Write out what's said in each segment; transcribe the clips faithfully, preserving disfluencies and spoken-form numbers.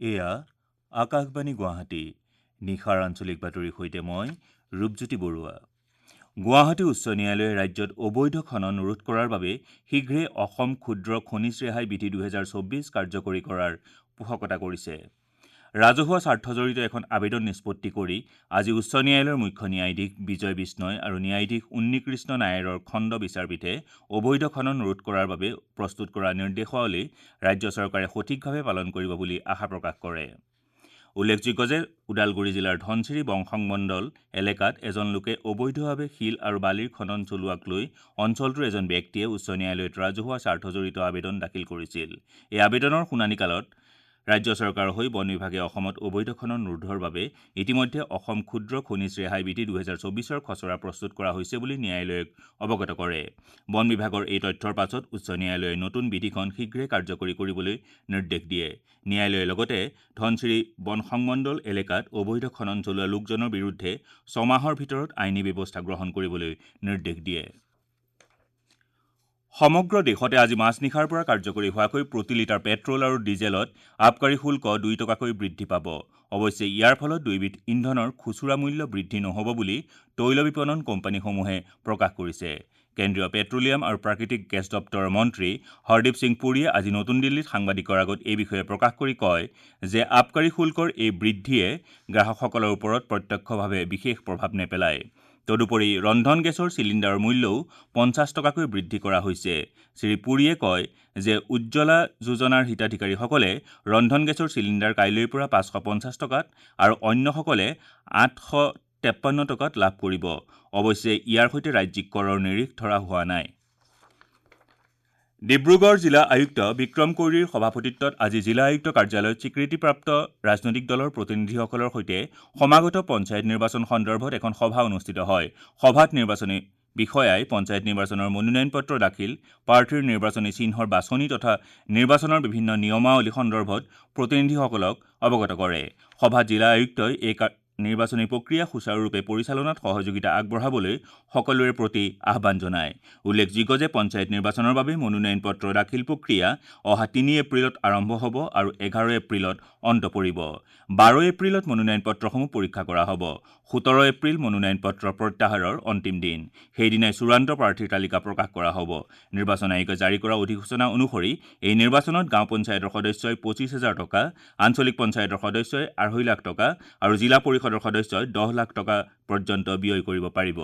এয়া আকাশবাণী গুৱাহাটী। নিশাৰ আঞ্চলিক বাতৰিৰ সৈতে মই ৰূপজ্যোতি বৰুৱা। গুৱাহাটী উচ্চ ন্যায়ালয়ে ৰাজ্যত অবৈধ খনন ৰোধ কৰাৰ বাবে শীঘ্ৰে অসম ক্ষুদ্ৰ খনিজ ৰেহাই বিধি দুহেজাৰ চৌব্বিছ কাৰ্যকৰী কৰাৰ পোষকতা কৰিছে। ৰাজহুৱা স্বাৰ্থজড়িত এখন আবেদন নিষ্পত্তি কৰি আজি উচ্চ ন্যায়ালয়ৰ মুখ্য ন্যায়াধীশ বিজয় বিষ্ণয় আৰু ন্যায়াধীশ উন্নীকৃষ্ণ নায়াৰৰ খণ্ড বিচাৰপীঠে অবৈধ খনন ৰোধ কৰাৰ বাবে প্ৰস্তুত কৰা নিৰ্দেশাৱলী ৰাজ্য চৰকাৰে সঠিকভাৱে পালন কৰিব বুলি আশা প্ৰকাশ কৰে। উল্লেখযোগ্য যে ওদালগুৰি জিলাৰ ধনশিৰি বংশমণ্ডল এলেকাত এজন লোকে অবৈধভাৱে শিল আৰু বালিৰ খনন চলোৱাক লৈ অঞ্চলটোৰ এজন ব্যক্তিয়ে উচ্চ ন্যায়ালয়ত ৰাজহুৱা স্বাৰ্থজড়িত আবেদন দাখিল কৰিছিল। এই আবেদনৰ শুনানিকালত ৰাজ্য চৰকাৰৰ হৈ বন বিভাগে অসমত অবৈধ খনন ৰোধৰ বাবে ইতিমধ্যে অসম ক্ষুদ্ৰ খনিজ ৰেহাই বিধি দুহেজাৰ চৌবিছৰ খচৰা প্ৰস্তুত কৰা হৈছে বুলি ন্যায়ালয়ক অৱগত কৰে। বন বিভাগৰ এই তথ্যৰ পাছত উচ্চ ন্যায়ালয়ে নতুন বিধিখন শীঘ্ৰে কাৰ্যকৰী কৰিবলৈ নিৰ্দেশ দিয়ে। ন্যায়ালয়ে লগতে ধনশিৰি বন সংমণ্ডল এলেকাত অবৈধ খনন চলোৱা লোকজনৰ বিৰুদ্ধে ছমাহৰ ভিতৰত আইনী ব্যৱস্থা গ্ৰহণ কৰিবলৈ নিৰ্দেশ দিয়ে। সমগ্ৰ দেশতে আজি মাজনিশাৰ পৰা কাৰ্যকৰী হোৱাকৈ প্ৰতি লিটাৰ পেট্ৰল আৰু ডিজেলত আবকাৰী শুল্ক দুই টকাকৈ বৃদ্ধি পাব। অৱশ্যে ইয়াৰ ফলত দুয়োবিধ ইন্ধনৰ খুচুৰা মূল্য বৃদ্ধি নহ'ব বুলি তৈল বিপণন কোম্পানীসমূহে প্ৰকাশ কৰিছে। কেন্দ্ৰীয় পেট্ৰলিয়াম আৰু প্ৰাকৃতিক গেছ দপ্তৰৰ মন্ত্ৰী হৰদীপ সিং পুৰীয়ে আজি নতুন দিল্লীত সাংবাদিকৰ আগত এই বিষয়ে প্ৰকাশ কৰি কয় যে আবকাৰী শুল্কৰ এই বৃদ্ধিয়ে গ্ৰাহকসকলৰ ওপৰত প্ৰত্যক্ষভাৱে বিশেষ প্ৰভাৱ নেপেলায়। তদুপৰি ৰন্ধন গেছৰ চিলিণ্ডাৰৰ মূল্যও পঞ্চাছ টকাকৈ বৃদ্ধি কৰা হৈছে। শ্ৰী পুৰীয়ে কয় যে উজ্জ্বলা যোজনাৰ হিতাধিকাৰীসকলে ৰন্ধন গেছৰ চিলিণ্ডাৰ কাইলৈৰ পৰা পাঁচশ পঞ্চাছ টকাত আৰু অন্যসকলে আঠশ তেপন্ন টকাত লাভ কৰিব। অৱশ্যে ইয়াৰ সৈতে ৰাজ্যিক কৰৰ নিৰিখ ধৰা হোৱা নাই। ডিব্ৰুগড় জিলা আয়ুক্ত বিক্ৰম কৈৰীৰ সভাপতিত্বত আজি জিলা আয়ুক্ত কাৰ্যালয়ত স্বীকৃতিপ্ৰাপ্ত ৰাজনৈতিক দলৰ প্ৰতিনিধিসকলৰ সৈতে সমাগত পঞ্চায়ত নিৰ্বাচন সন্দৰ্ভত এখন সভা অনুষ্ঠিত হয়। সভাত নিৰ্বাচনী বিষয়াই পঞ্চায়ত নিৰ্বাচনৰ মনোনয়ন পত্ৰ দাখিল, প্ৰাৰ্থীৰ নিৰ্বাচনী চিহ্নৰ বাছনি তথা নিৰ্বাচনৰ বিভিন্ন নিয়মাৱলী সন্দৰ্ভত প্ৰতিনিধিসকলক অৱগত কৰে। সভাত জিলা আয়ুক্তই এই নিৰ্বাচনী প্ৰক্ৰিয়া সুচাৰুৰূপে পৰিচালনাত সহযোগিতা আগবঢ়াবলৈ সকলোৰে প্ৰতি আহ্বান জনায়। উল্লেখযোগ্য যে পঞ্চায়ত নিৰ্বাচনৰ বাবে মনোনয়ন পত্ৰ দাখিল প্ৰক্ৰিয়া অহা তিনি এপ্ৰিলত আৰম্ভ হ'ব আৰু এঘাৰ এপ্ৰিলত অন্ত পৰিব। বাৰ এপ্ৰিলত মনোনয়ন পত্ৰসমূহ পৰীক্ষা কৰা হ'ব। সোতৰ এপ্ৰিল মনোনয়ন পত্ৰ প্ৰত্যাহাৰৰ অন্তিম দিন। সেইদিনাই চূড়ান্ত প্ৰাৰ্থীৰ তালিকা প্ৰকাশ কৰা হ'ব। নিৰ্বাচন আয়োগে জাৰি কৰা অধিসূচনা অনুসৰি এই নিৰ্বাচনত গাঁও পঞ্চায়তৰ সদস্যই পঁচিছ হাজাৰ টকা, আঞ্চলিক পঞ্চায়তৰ সদস্যই আঢ়ৈ লাখ টকা আৰু জিলা পৰিষদৰ সদস্যই দহ লাখ টকা পৰ্যন্ত ব্যয় কৰিব পাৰিব।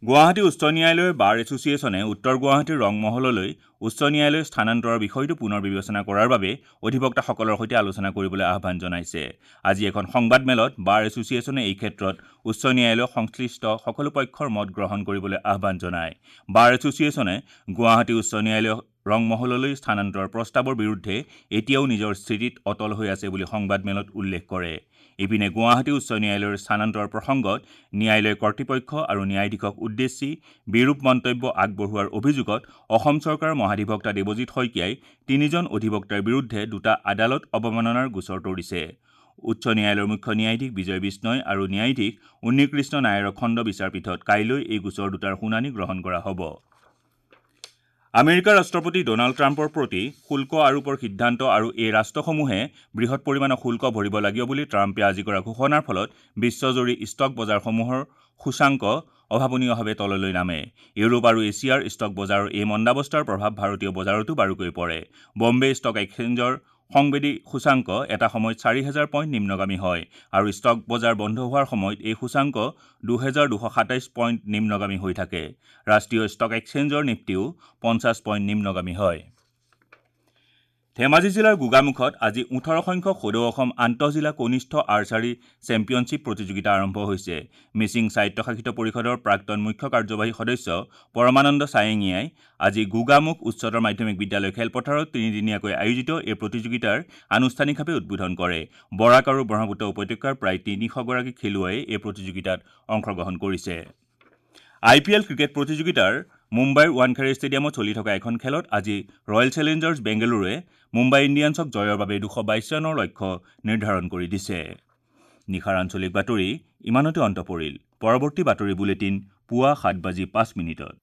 গুৱাহাটী উচ্চ ন্যায়ালয়ৰ বাৰ এছ'চিয়েশ্যনে উত্তৰ গুৱাহাটীৰ ৰংমহললৈ উচ্চ ন্যায়ালয় স্থানান্তৰৰ বিষয়টো পুনৰ বিবেচনা কৰাৰ বাবে অধিবক্তাসকলৰ সৈতে আলোচনা কৰিবলৈ আহ্বান জনাইছে। আজি এখন সংবাদমেলত বাৰ এছ'চিয়েশ্যনে এই ক্ষেত্ৰত উচ্চ ন্যায়ালয়ৰ সংশ্লিষ্ট সকলো পক্ষৰ মত গ্ৰহণ কৰিবলৈ আহ্বান জনায়। বাৰ এছ'চিয়েশ্যনে গুৱাহাটী উচ্চ ন্যায়ালয় ৰংমহললৈ স্থানান্তৰৰ প্ৰস্তাৱৰ বিৰুদ্ধে এতিয়াও নিজৰ স্থিতিত অটল হৈ আছে বুলি সংবাদমেলত উল্লেখ কৰে। ইপিনে গুৱাহাটী উচ্চ ন্যায়ালয়ৰ স্থানান্তৰৰ প্ৰসংগত ন্যায়ালয় কৰ্তৃপক্ষ আৰু ন্যায়াধীশক উদ্দেশ্যি বিৰূপ মন্তব্য আগবঢ়োৱাৰ অভিযোগত অসম চৰকাৰৰ মহাধিবক্তা দেৱজিৎ শইকীয়াই তিনিজন অধিবক্তাৰ বিৰুদ্ধে দুটা আদালত অৱমাননাৰ গোচৰ তৰিছে। উচ্চ ন্যায়ালয়ৰ মুখ্য ন্যায়াধীশ বিজয় বিষ্ণয় আৰু ন্যায়াধীশ উন্নীকৃষ্ণ নায়াৰৰ খণ্ড বিচাৰপীঠত কাইলৈ এই গোচৰ দুটাৰ শুনানি গ্ৰহণ কৰা হ'ব। আমেৰিকাৰ ৰাষ্ট্ৰপতি ড'নাল্ড ট্ৰাম্পৰ প্ৰতি শুল্ক আৰোপৰ সিদ্ধান্ত আৰু এই ৰাষ্ট্ৰসমূহে বৃহৎ পৰিমাণৰ শুল্ক ভৰিব লাগিব বুলি ট্ৰাম্পে আজি কৰা ঘোষণাৰ ফলত বিশ্বজুৰি ষ্টক বজাৰসমূহৰ সূচাংক অভাৱনীয়ভাৱে তললৈ নামে। ইউৰোপ আৰু এছিয়াৰ ষ্টক বজাৰৰ এই মন্দাৱস্থাৰ প্ৰভাৱ ভাৰতীয় বজাৰতো বাৰুকৈ পৰে। বম্বে ষ্টক এক্সচেঞ্জৰ সংবেদী সূচাংক এটা সময়ত চাৰি হেজাৰ পইণ্ট নিম্নগামী হয় আৰু ষ্টক বজাৰ বন্ধ হোৱাৰ সময়ত এই সূচাংক দুহেজাৰ দুশ সাতাইছ পইণ্ট নিম্নগামী হৈ থাকে। ৰাষ্ট্ৰীয় ষ্টক এক্সচেঞ্জৰ নিফটিও পঞ্চাছ পইণ্ট নিম্নগামী হয়। ধেমাজি জিলাৰ গোগামুখত আজি ওঠৰ সংখ্যক সদৌ অসম আন্তঃজিলা কনিষ্ঠ আৰ্চাৰী চেম্পিয়নশ্বিপ প্ৰতিযোগিতা আৰম্ভ হৈছে। মিচিং স্বায়ত্তশাসিত পৰিষদৰ প্ৰাক্তন মুখ্য কাৰ্যবাহী সদস্য পৰমানন্দ চায়েঙীয়াই আজি গোগামুখ উচ্চতৰ মাধ্যমিক বিদ্যালয় খেলপথাৰত তিনিদিনীয়াকৈ আয়োজিত এই প্ৰতিযোগিতাৰ আনুষ্ঠানিকভাৱে উদ্বোধন কৰে। বৰাক আৰু ব্ৰহ্মপুত্ৰ উপত্যকাৰ প্ৰায় তিনিশগৰাকী খেলুৱৈয়ে এই প্ৰতিযোগিতাত অংশগ্ৰহণ কৰিছে। আই পি এল ক্ৰিকেট প্ৰতিযোগিতাৰ মুম্বাইৰ ৱানখেড়ে ষ্টেডিয়ামত চলি থকা এখন খেলত আজি ৰয়েল চেলেঞ্জাৰ্ছ বেংগালুৰুৱে মুম্বাই ইণ্ডিয়ানছক জয়ৰ বাবে দুশ বাইছ ৰানৰ লক্ষ্য নিৰ্ধাৰণ কৰি দিছে। নিশাৰ আঞ্চলিক বাতৰি ইমানতে অন্ত পৰিল। পৰৱৰ্তী বাতৰি বুলেটিন পুৱা সাত বাজি পাঁচ মিনিটত।